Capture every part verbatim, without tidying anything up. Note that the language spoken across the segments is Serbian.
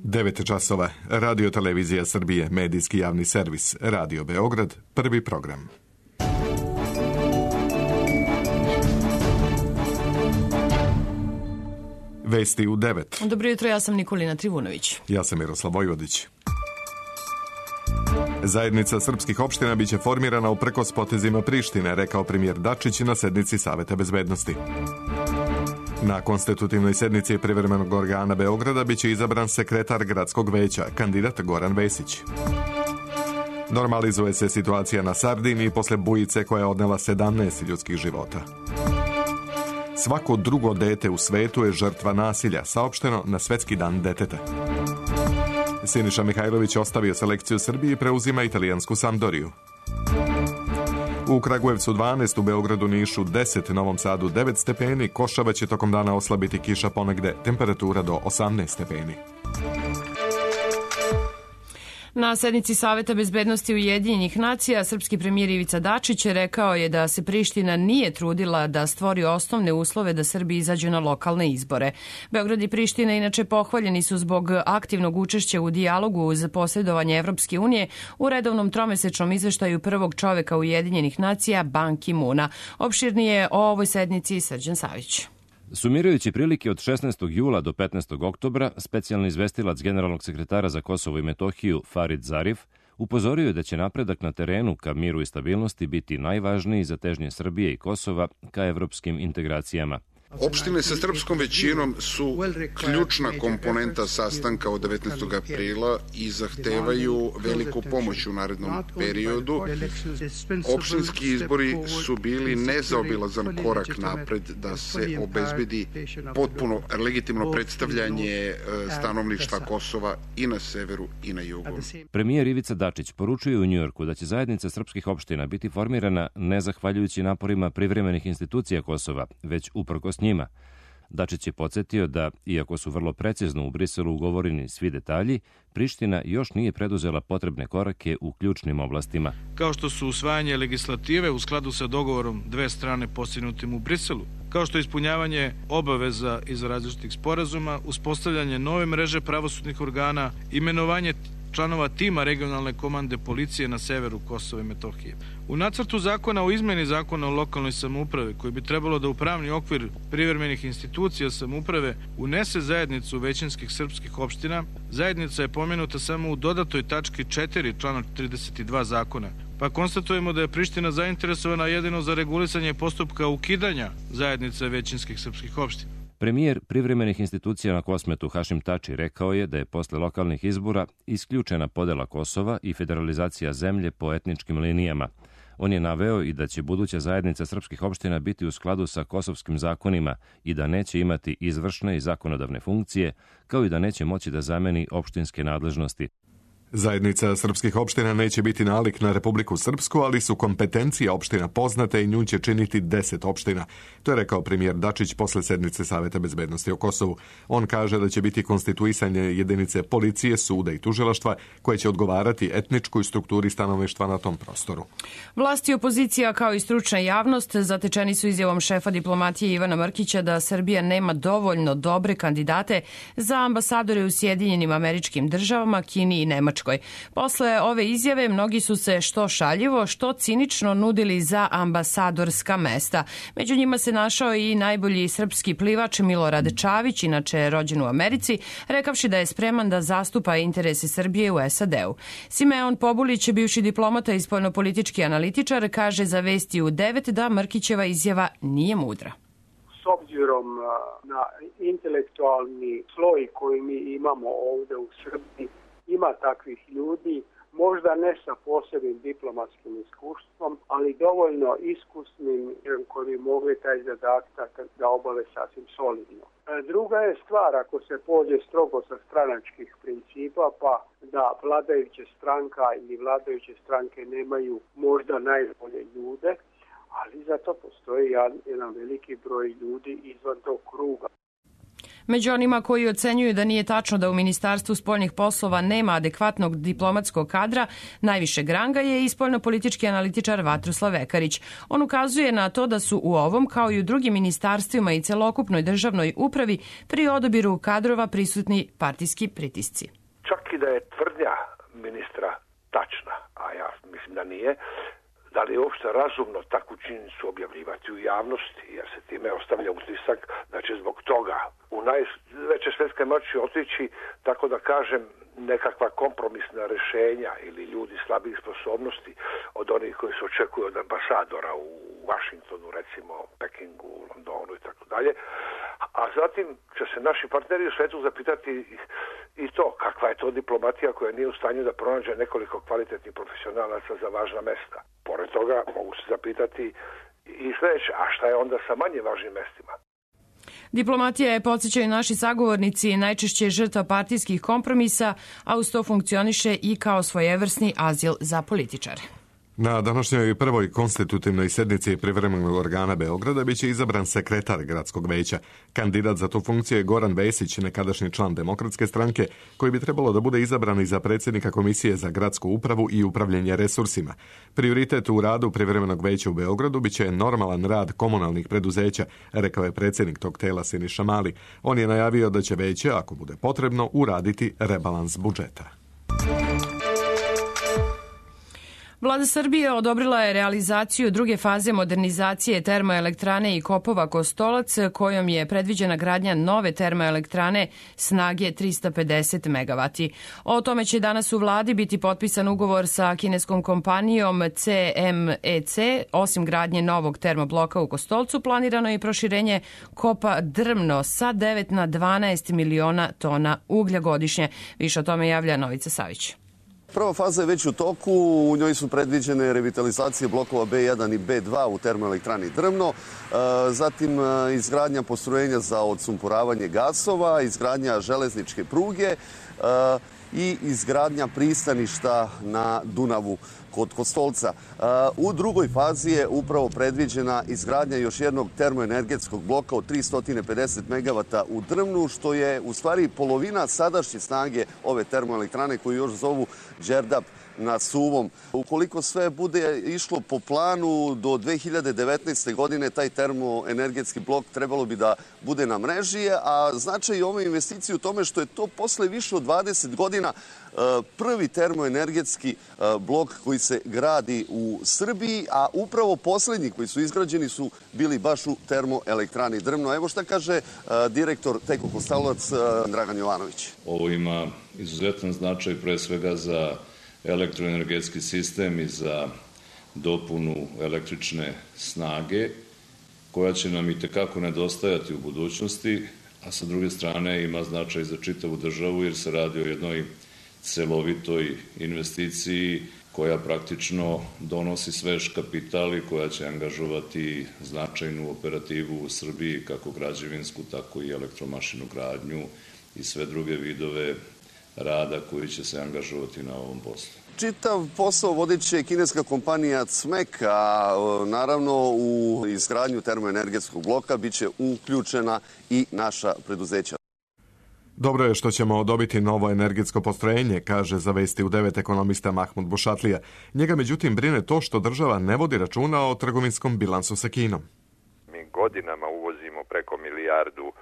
devet časova. Radio Televizija Srbije, medijski javni servis, Radio Beograd, prvi program. Vesti u devet. Dobro jutro, ja sam Nikolina Trivunović. Ja sam Miroslav Vojvodić. Zajednica srpskih opština biće formirana uprkos potezima Prištine, rekao premijer Dačić na sednici Saveta bezbednosti. Na konstitutivnoj sednici privremenog organa Beograda biće izabran sekretar gradskog veća, kandidat Goran Vesić. Normalizuje se situacija na Sardiniji posle bujice koja je odnela sedamnaest ljudskih života. Svako drugo dete u svetu je žrtva nasilja, saopšteno na Svetski dan deteta. Siniša Mihajlović ostavio selekciju Srbije i preuzima italijansku Sampdoriju. U Kragujevcu dvanaest, u Beogradu, Nišu deset, Novom Sadu devet stepeni, Košava će tokom dana oslabiti kiša ponegde, temperatura do osamnaest stepeni. Na sednici Saveta bezbednosti Ujedinjenih nacija srpski premijer Ivica Dačić rekao je da se Priština nije trudila da stvori osnovne uslove da Srbi izađu na lokalne izbore. Beograd i Priština inače pohvaljeni su zbog aktivnog učešća u dijalogu uz posredovanje Evropske unije u redovnom tromesečnom izveštaju prvog čoveka Ujedinjenih nacija Ban Ki-moona. Opširnije o ovoj sednici Srđan Savić. Sumirajući prilike od šesnaestog jula do petnaestog oktobra, specijalni izvestilac generalnog sekretara za Kosovo i Metohiju Farid Zarif upozorio je da će napredak na terenu ka miru i stabilnosti biti najvažniji za težnje Srbije i Kosova ka evropskim integracijama. Opštine sa srpskom većinom su ključna komponenta sastanka od devetnaestog aprila i zahtevaju veliku pomoć u narednom periodu. Opštinski izbori su bili nezaobilazan korak napred da se obezbedi potpuno legitimno predstavljanje stanovništva Kosova i na severu i na jugu. Premijer Ivica Dačić poručuje u Njujorku da će zajednica srpskih opština biti formirana ne zahvaljujući naporima privremenih institucija Kosova, već uprkos njima. Dačić je podsjetio da, iako su vrlo precizno u Briselu ugovoreni svi detalji, Priština još nije preduzela potrebne korake u ključnim oblastima. Kao što su usvajanje legislative u skladu sa dogovorom dve strane postignutim u Briselu, kao što je ispunjavanje obaveza iz različitih sporazuma, uspostavljanje nove mreže pravosudnih organa, imenovanje članova tima regionalne komande policije na severu Kosova i Metohije. U nacrtu zakona o izmeni zakona o lokalnoj samoupravi, koji bi trebalo da u pravni okvir privremenih institucija samouprave unese zajednicu većinskih srpskih opština, zajednica je pomenuta samo u dodatoj tački četiri člana trideset dva zakona, pa konstatujemo da je Priština zainteresovana jedino za regulisanje postupka ukidanja zajednice većinskih srpskih opština. Premijer privremenih institucija na Kosmetu Hašim Tači rekao je da je posle lokalnih izbora isključena podela Kosova i federalizacija zemlje po etničkim linijama. On je naveo i da će buduća zajednica srpskih opština biti u skladu sa kosovskim zakonima i da neće imati izvršne i zakonodavne funkcije, kao i da neće moći da zameni opštinske nadležnosti. Zajednica srpskih opština neće biti nalik na Republiku Srpsku, ali su kompetencije opština poznate i nju će činiti deset opština. To je rekao premijer Dačić posle sednice Saveta bezbednosti o Kosovu. On kaže da će biti konstituisanje jedinice policije, suda i tužilaštva koje će odgovarati etničkoj strukturi stanovništva na tom prostoru. Vlast i opozicija kao i stručna javnost zatečeni su izjavom šefa diplomatije Ivana Mrkića da Srbija nema dovoljno dobre kandidate za ambasadore u Sjedinjenim Američkim Državama, Kini i Nemačkoj. Posle ove izjave mnogi su se što šaljivo, što cinično nudili za ambasadorska mesta. Među njima se našao i najbolji srpski plivač Milorad Čavić, inače rođen u Americi, rekavši da je spreman da zastupa interese Srbije u S A D-u. Simeon Pobulić, bivši diplomata i spoljnopolitički analitičar, kaže za Vesti u devet da Mrkićeva izjava nije mudra. S obzirom na intelektualni sloj koji mi imamo ovde u Srbiji, ima takvih ljudi, možda ne sa posebnim diplomatskim iskustvom, ali dovoljno iskusnim koji bi mogli taj zadatak da obave sasvim solidno. Druga je stvar, ako se pođe strogo sa stranačkih principa, pa da vladajuća stranka ili vladajuće stranke nemaju možda najbolje ljude, ali zato postoji jedan veliki broj ljudi izvan tog kruga. Među onima koji ocenjuju da nije tačno da u Ministarstvu spoljnih poslova nema adekvatnog diplomatskog kadra, najvišeg ranga je i spoljnopolitički analitičar Vatroslav Ekarić. On ukazuje na to da su u ovom, kao i u drugim ministarstvima i celokupnoj državnoj upravi, pri odabiru kadrova prisutni partijski pritisci. Čak i da je tvrdnja ministra tačna, a ja mislim da nije, da li je uopšte razumno takvu činjenicu objavljivati u javnosti, jer se time ostavlja utisak da će zbog toga u najveće svetske moći otići, tako da kažem, nekakva kompromisna rešenja ili ljudi slabih sposobnosti od onih koji se očekuju od ambasadora u Vašingtonu, recimo Pekingu, Londonu i tako dalje. A zatim će se naši partneri u svetu zapitati i to, kakva je to diplomatija koja nije u stanju da pronađe nekoliko kvalitetnih profesionalaca za važna mesta. Pored toga mogu se zapitati i sledeće, a šta je onda sa manje važnim mestima? Diplomatija je, podsjećaju naši sagovornici, najčešće žrtva partijskih kompromisa, a uz to funkcioniše i kao svojevrsni azil za političare. Na današnjoj prvoj konstitutivnoj sednici privremenog organa Beograda biće izabran sekretar gradskog veća. Kandidat za tu funkciju je Goran Vesić, nekadašnji član Demokratske stranke, koji bi trebalo da bude izabran i za predsjednika Komisije za gradsku upravu i upravljanje resursima. Prioritet u radu privremenog veća u Beogradu biće normalan rad komunalnih preduzeća, rekao je predsjednik tog tela Siniša Mali. On je najavio da će veće, ako bude potrebno, uraditi rebalans budžeta. Vlada Srbije odobrila je realizaciju druge faze modernizacije termoelektrane i kopova Kostolac, kojom je predviđena gradnja nove termoelektrane snage trista pedeset megavati. O tome će danas u vladi biti potpisan ugovor sa kineskom kompanijom C M E C. Osim gradnje novog termobloka u Kostolcu, planirano je i proširenje kopa Drmno sa devet na dvanaest miliona tona uglja godišnje. Više o tome javlja Novica Savić. Prva faza je već u toku, u njoj su predviđene revitalizacije blokova B jedan i B dva u termoelektrani Drmno, zatim izgradnja postrojenja za odsumporavanje gasova, izgradnja železničke pruge i izgradnja pristaništa na Dunavu kod Kostolca. U drugoj fazi je upravo predviđena izgradnja još jednog termoenergetskog bloka od tristo pedeset megavata u Drmnu, što je u stvari polovina sadašnje snage ove termoelektrane koju još zovu Đerdap na Suvom. Ukoliko sve bude išlo po planu, do dve hiljade devetnaeste. godine taj termoenergetski blok trebalo bi da bude na mreži, a značaj ove investicije u tome što je to posle više od dvadeset godina prvi termoenergetski blok koji se gradi u Srbiji, a upravo poslednji koji su izgrađeni su bili baš u termoelektrani Drmno. Evo šta kaže direktor Teko Kostolac Dragan Jovanović. Ovo ima izuzetan značaj pre svega za elektroenergetski sistem i za dopunu električne snage koja će nam i tekako nedostajati u budućnosti, a sa druge strane ima značaj za čitavu državu jer se radi o jednoj celovitoj investiciji koja praktično donosi svež kapital i koja će angažovati značajnu operativu u Srbiji, kako građevinsku, tako i elektromašinu gradnju i sve druge vidove rada koji će se angažovati na ovom poslu. Čitav posao vodit će kineska kompanija C M E C, a naravno u izgradnju termoenergetskog bloka biće uključena i naša preduzeća. Dobro je što ćemo dobiti novo energetsko postrojenje, kaže za Vesti u devet ekonomista Mahmud Bušatlija. Njega međutim brine to što država ne vodi računa o trgovinskom bilansu sa Kinom. Mi godinama uvozimo preko milijardu e,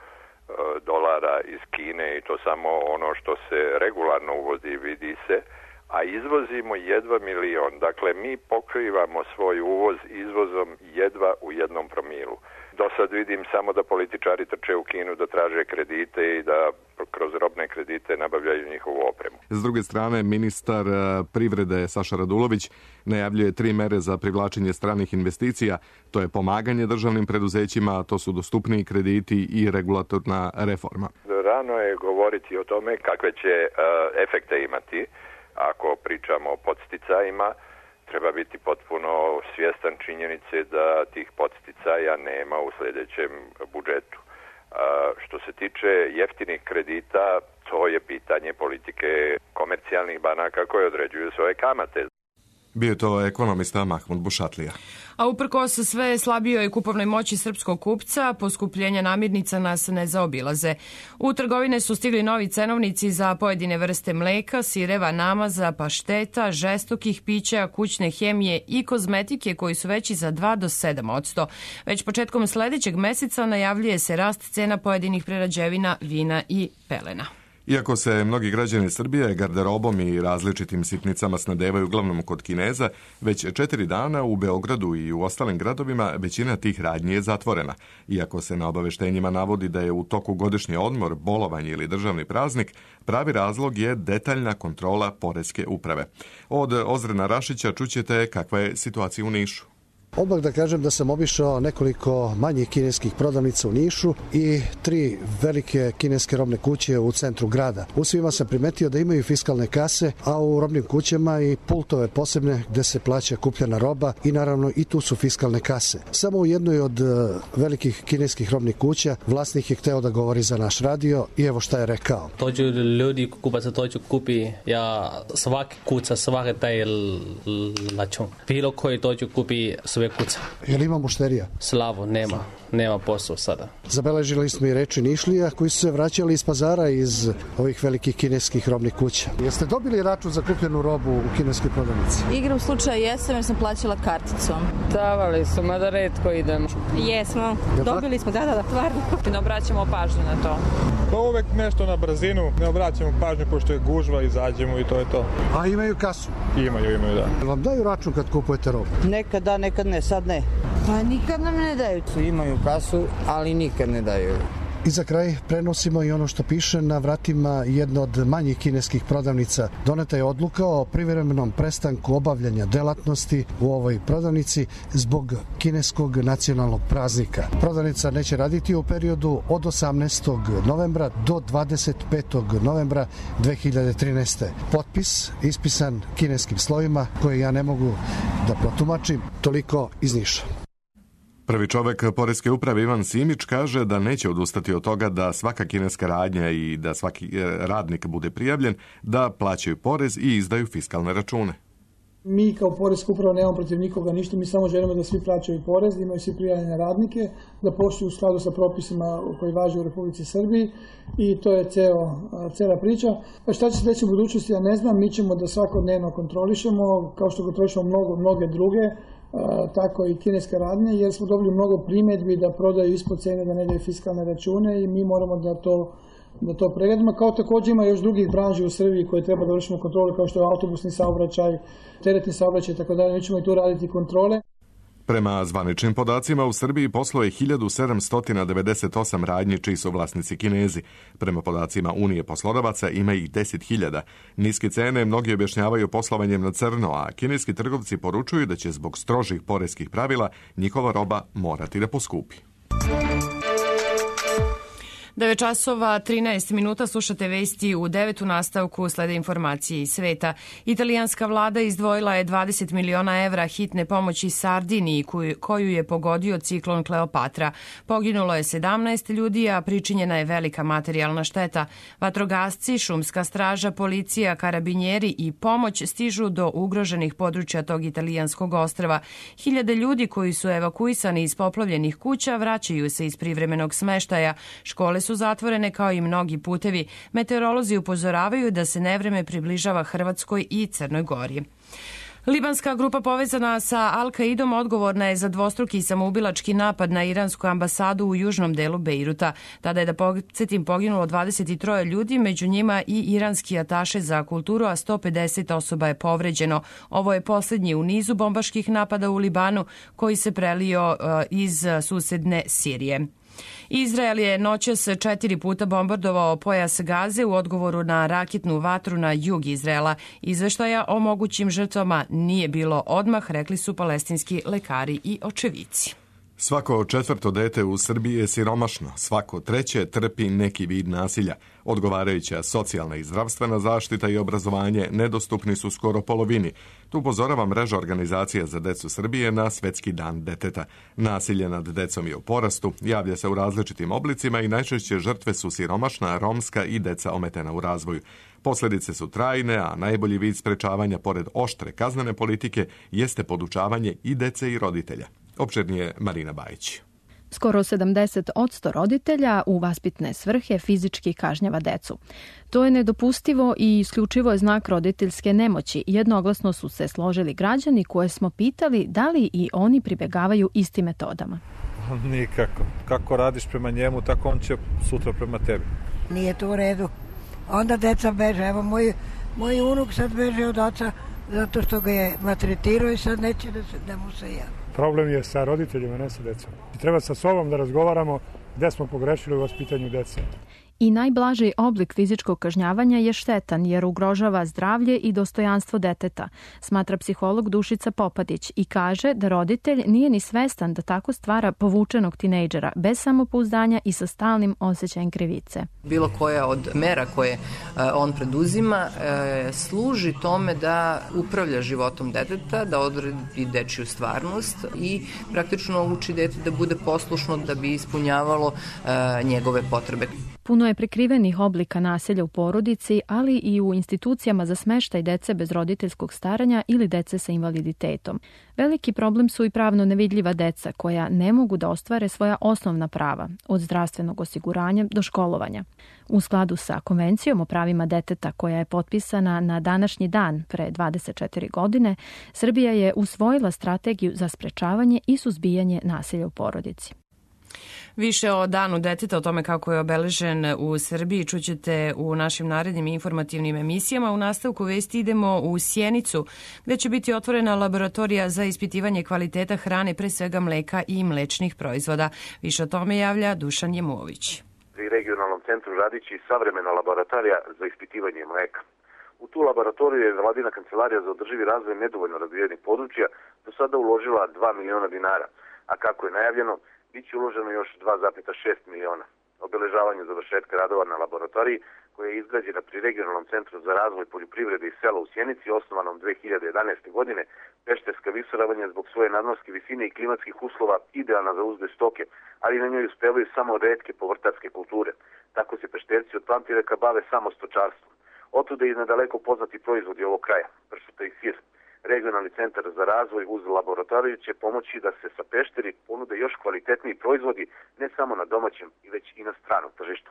dolara iz Kine i to samo ono što se regularno uvozi, vidi se, a izvozimo jedva milion. Dakle, mi pokrivamo svoj uvoz izvozom jedva u jednom promilu. Do sad vidim samo da političari trče u Kinu da traže kredite i da kroz robne kredite nabavljaju njihovu opremu. S druge strane, ministar privrede Saša Radulović najavljuje tri mere za privlačenje stranih investicija. To je pomaganje državnim preduzećima, to su dostupniji krediti i regulatorna reforma. Rano je govoriti o tome kakve će uh, efekte imati ako pričamo o podsticajima. Treba biti potpuno svjestan činjenice da tih podsticaja nema u sljedećem budžetu. Što se tiče jeftinih kredita, to je pitanje politike komercijalnih banaka koje određuju svoje kamate. Bio je to ekonomista Mahmud Bušatlija. A uprkos sve slabijoj kupovnoj moći srpskog kupca, poskupljenja namirnica nas ne zaobilaze. U trgovine su stigli novi cenovnici za pojedine vrste mleka, sireva, namaza, pašteta, žestokih pića, kućne hemije i kozmetike koji su veći za dva do sedam odsto. Već početkom sledećeg meseca najavljuje se rast cena pojedinih prerađevina, vina i pelena. Iako se mnogi građani Srbije garderobom i različitim sitnicama snadevaju uglavnom kod Kineza, već četiri dana u Beogradu i u ostalim gradovima većina tih radnji je zatvorena. Iako se na obaveštenjima navodi da je u toku godišnji odmor, bolovanje ili državni praznik, pravi razlog je detaljna kontrola poreske uprave. Od Ozrena Rašića čućete kakva je situacija u Nišu. Odmah da kažem da sam obišao nekoliko manjih kineskih prodavnica u Nišu i tri velike kineske robne kuće u centru grada. U svima sam primetio da imaju fiskalne kase, a u robnim kućama i pultove posebne gde se plaća kupljena roba i naravno i tu su fiskalne kase. Samo u jednoj od velikih kineskih robnih kuća vlasnik je hteo da govori za naš radio i evo šta je rekao. Dođu ljudi kupaca, dođu kupi ja svaki kuca, svaki taj račun. Bilo koji dođu kupi sve kuca. Je li ima mušterija? Slavo, nema. Nema posao sada. Zabeležili smo i reči Nišlija koji su se vraćali iz pazara iz ovih velikih kineskih robnih kuća. Jeste dobili račun za kupljenu robu u kineskoj prodavnici? Igrom slučaja jesam jer sam plaćala karticom. Davali su, mada retko idemo. Jesmo. Dobili smo, da, da, da, tvarno. Ne obraćamo pažnju na to. Pa uvek nešto na brzinu, ne obraćamo pažnju pošto je gužva, izađemo i to je to. A imaju kasu? Imaju, imaju, da. Vam daju račun kad kupujete robu? Nekad da, nekad ne, sad ne. Pa nikad nam ne daju. Imaju kasu, ali nikad ne daju. I za kraj prenosimo i ono što piše na vratima jedne od manjih kineskih prodavnica. Doneta je odluka o privremenom prestanku obavljanja delatnosti u ovoj prodavnici zbog kineskog nacionalnog praznika. Prodavnica neće raditi u periodu od osamnaestog novembra do dvadeset petog novembra dve hiljade trinaeste. Potpis ispisan kineskim slovima koje ja ne mogu da protumačim. Toliko iz Niša. Prvi čovek poreske uprave Ivan Simić kaže da neće odustati od toga da svaka kineska radnja i da svaki radnik bude prijavljen, da plaćaju porez i izdaju fiskalne račune. Mi kao poreska uprava nemamo protiv nikoga ništa, mi samo želimo da svi plaćaju porez, da imaju svi prijavljene radnike, da posluju u skladu sa propisima koji važe u Republici Srbiji i to je ceo, cela priča. A šta će se deći u budućnosti, ja ne znam, mi ćemo da svakodnevno kontrolišemo, kao što kontrolišemo mnogo, mnoge druge, tako i kineske radnje, jer smo dobili mnogo primjedbi da prodaju ispod cene, da ne daju fiskalne račune i mi moramo da to, da to pregledamo. Kao također ima još drugih branži u Srbiji koje treba da vršimo kontrole, kao što je autobusni saobraćaj, teretni saobraćaj i tako dalje. Mi ćemo i tu raditi kontrole. Prema zvaničnim podacima u Srbiji posluje hiljadu sedamsto devedeset osam radnji čiji su vlasnici Kinezi. Prema podacima Unije poslodavaca ima ih deset hiljada. Niske cene mnogi objašnjavaju poslovanjem na crno, a kineski trgovci poručuju da će zbog strožih poreskih pravila njihova roba morati da poskupi. devet časova trinaest minuta, slušate vesti u devetu nastavku, slede informacije iz sveta. Italijanska vlada izdvojila je dvadeset miliona evra hitne pomoći Sardiniji koju je pogodio ciklon Kleopatra. Poginulo je sedamnaest ljudi, a pričinjena je velika materijalna šteta. Vatrogasci, šumska straža, policija, karabinjeri i pomoć stižu do ugroženih područja tog italijanskog ostrva. Hiljade ljudi koji su evakuisani iz poplavljenih kuća vraćaju se iz privremenog smeštaja. Škole su zatvorene kao i mnogi putevi. Meteorolozi upozoravaju da se nevreme približava Hrvatskoj i Crnoj Gori. Libanska grupa povezana sa Al-Kaidom odgovorna je za dvostruki samoubilački napad na iransku ambasadu u južnom delu Bejruta. Tada je, da podsjetim, poginulo dvadeset tri ljudi, među njima i iranski ataše za kulturu, a sto pedeset osoba je povređeno. Ovo je posljednji u nizu bombaških napada u Libanu koji se prelio iz susedne Sirije. Izrael je noćas četiri puta bombardovao pojas Gaze u odgovoru na raketnu vatru na jug Izraela. Izveštaja o mogućim žrtvama nije bilo odmah, rekli su palestinski lekari i očevici. Svako četvrto dete u Srbiji je siromašno, svako treće trpi neki vid nasilja. Odgovarajuća socijalna i zdravstvena zaštita i obrazovanje nedostupni su skoro polovini. Tu upozorava mreža organizacija za decu Srbije na Svetski dan deteta. Nasilje nad decom je u porastu, javlja se u različitim oblicima i najčešće žrtve su siromašna, romska i deca ometena u razvoju. Posljedice su trajne, a najbolji vid sprečavanja pored oštre kaznene politike jeste podučavanje i dece i roditelja. Opširnije Marina Bajić. Skoro sedamdeset posto roditelja u vaspitne svrhe fizički kažnjava decu. To je nedopustivo i isključivo je znak roditeljske nemoći. Jednoglasno su se složili građani koje smo pitali da li i oni pribegavaju istim metodama. Nikako. Kako radiš prema njemu, tako on će sutra prema tebi. Nije to u redu. Onda deca beže. Evo, moj, moj unuk sad beže od oca zato što ga je maltretirao i sad neće da, se, da mu se javi. Problem je sa roditeljima, ne sa decom. I treba sa sobom da razgovaramo gde smo pogrešili u vaspitanju dece. I najblaži oblik fizičkog kažnjavanja je štetan jer ugrožava zdravlje i dostojanstvo deteta, smatra psiholog Dušica Popadić i kaže da roditelj nije ni svestan da tako stvara povučenog tinejdžera bez samopouzdanja i sa stalnim osjećajem krivice. Bilo koja od mera koje on preduzima služi tome da upravlja životom deteta, da odredi dečiju stvarnost i praktično uči dete da bude poslušno da bi ispunjavalo njegove potrebe. Puno je prikrivenih oblika nasilja u porodici, ali i u institucijama za smeštaj dece bez roditeljskog staranja ili dece sa invaliditetom. Veliki problem su i pravno nevidljiva deca koja ne mogu da ostvare svoja osnovna prava, od zdravstvenog osiguranja do školovanja. U skladu sa Konvencijom o pravima deteta koja je potpisana na današnji dan pre dvadeset četiri godine, Srbija je usvojila strategiju za sprečavanje i suzbijanje nasilja u porodici. Više o danu deteta, o tome kako je obeležen u Srbiji, čućete u našim narednim informativnim emisijama. U nastavku vesti idemo u Sjenicu, gde će biti otvorena laboratorija za ispitivanje kvaliteta hrane, pre svega mleka i mlečnih proizvoda. Više o tome javlja Dušan Jemović. Pri regionalnom centru radići savremena laboratorija za ispitivanje mleka. U tu laboratoriju je Vladina kancelarija za održivi razvoj nedovoljno razvijenih područja do sada uložila dva miliona dinara, a kako je najavljeno, biće uloženo još dva zarez šest miliona. Obeležavanju završetka radova na laboratoriji, koja je izgrađena pri regionalnom centru za razvoj poljoprivrede i sela u Sjenici, osnovanom dve hiljade jedanaeste. godine, pešterska visoravanja zbog svoje nadmorske visine i klimatskih uslova idealna za uzgoj stoke, ali na njoj uspevaju samo retke povrtarske kulture. Tako se pešterci od pamtiveka bave samo stočarstvom. Otuda i nadaleko poznati proizvodi ovog kraja, pršuta i sir. Regionalni centar za razvoj uz laboratoriju će pomoći da se sa Pešteri ponude još kvalitetniji proizvodi ne samo na domaćem i već i na stranom tržištu.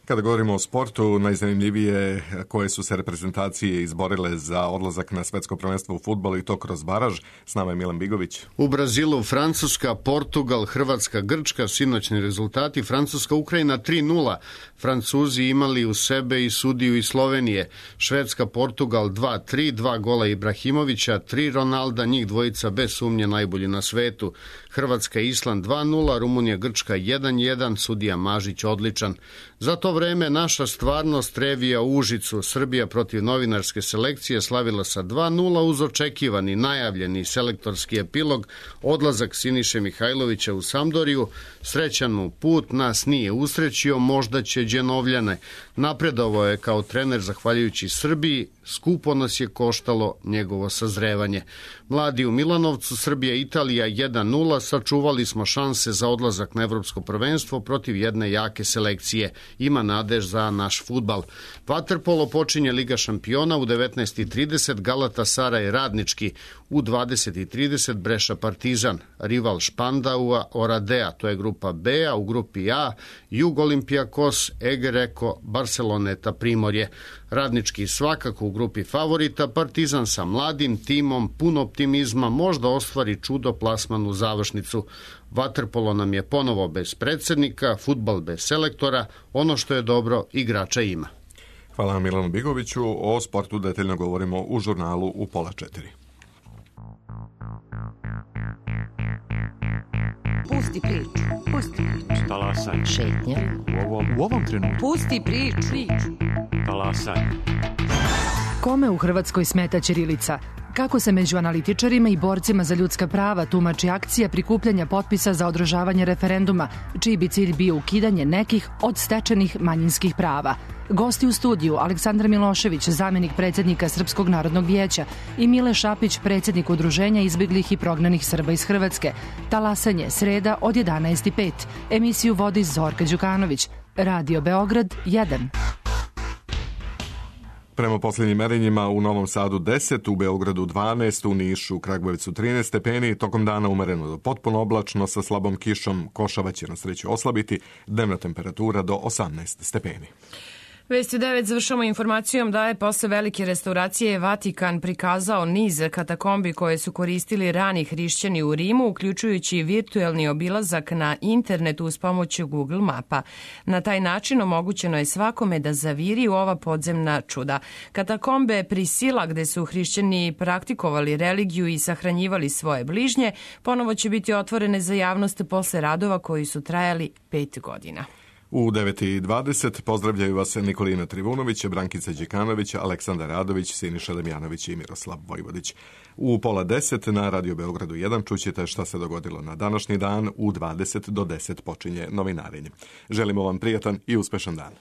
Kada govorimo o sportu, najzanimljivije koje su se reprezentacije izborile za odlazak na svetsko prvenstvo u fudbalu i to kroz baraž. S nama je Milan Bigović. U Brazilu Francuska, Portugal, Hrvatska, Grčka, sinoćni rezultati. Francuska, Ukrajina tri nula. Francuzi imali u sebe i sudiju iz Slovenije. Švedska, Portugal dva tri, dva gola Ibrahimovića, tri Ronalda, njih dvojica bez sumnje najbolji na svetu. Hrvatska, Island dva nula, Rumunija, Grčka jedan jedan, sudija Mažić odličan. Za to vreme naša stvarnost revija u Užicu. Srbija protiv novinarske selekcije slavila sa dva nula uz očekivani, najavljeni selektorski epilog, odlazak Siniše Mihajlovića u Sampdoriju. Srećan mu put nas nije usrećio, možda će Đenovljane. Napredovao je kao trener zahvaljujući Srbiji, skupo nas je koštalo njegovo sazrevanje. Mladi u Milanovcu, Srbija, Italija jedan nula, sačuvali smo šanse za odlazak na evropsko prvenstvo protiv jedne jake selekcije. Ima nadež za naš fudbal. Vaterpolo počinje Liga šampiona u devetnaest i trideset, Galatasaraj Radnički, u dvadeset i trideset Breša Partizan, rival Špandaua Oradea, to je grupa B, a u grupi A Jug Olimpijakos, Egereko, Barceloneta Primorje. Radnički svakako u grupi favorita, Partizan sa mladim timom, puno optimizma, možda ostvari čudo plasman u završnicu. Vaterpolo nam je ponovo bez predsjednika, fudbal bez selektora, ono što je dobro, igrača ima. Hvala Milanu Bigoviću. O sportu detaljno govorimo u žurnalu u pola četiri. Pusti priču, pusti priču. Talasaj. Šetnja. U ovom, u ovom trenutku. Pusti priču. Talasaj. Kome u Hrvatskoj smeta ćirilica? Kako se među analitičarima i borcima za ljudska prava tumači akcija prikupljanja potpisa za održavanje referenduma, čiji bi cilj bio ukidanje nekih od stečenih manjinskih prava? Gosti u studiju Aleksandar Milošević, zamenik predsjednika Srpskog narodnog vijeća, i Mile Šapić, predsjednik Udruženja izbjeglih i prognanih Srba iz Hrvatske. Talasanje, sreda od jedanaest i pet. Emisiju vodi Zorka Đukanović. Radio Beograd jedan. Prema posljednjim merenjima u Novom Sadu deset, u Beogradu dvanaest, u Nišu, u Kragujevcu trinaest stepeni, tokom dana umereno do potpuno oblačno sa slabom kišom, košava će na sreću oslabiti, dnevna temperatura do osamnaest stepeni. Vesti u devet završamo informacijom da je posle velike restauracije Vatikan prikazao niz katakombi koje su koristili rani hrišćani u Rimu, uključujući virtuelni obilazak na internetu uz pomoć Google mapa. Na taj način omogućeno je svakome da zaviri u ova podzemna čuda. Katakombe Prisila, gde su hrišćani praktikovali religiju i sahranjivali svoje bližnje, ponovo će biti otvorene za javnost posle radova koji su trajali pet godina. U devet i dvadeset pozdravljaju vas Nikolina Trivunović, Brankica Đekanović, Aleksandar Radović, Siniša Damjanović i Miroslav Vojvodić. U pola deset na Radio Beogradu jedan čućete šta se dogodilo na današnji dan. U dvadeset do deset počinje novinarenje. Želimo vam prijatan i uspešan dan.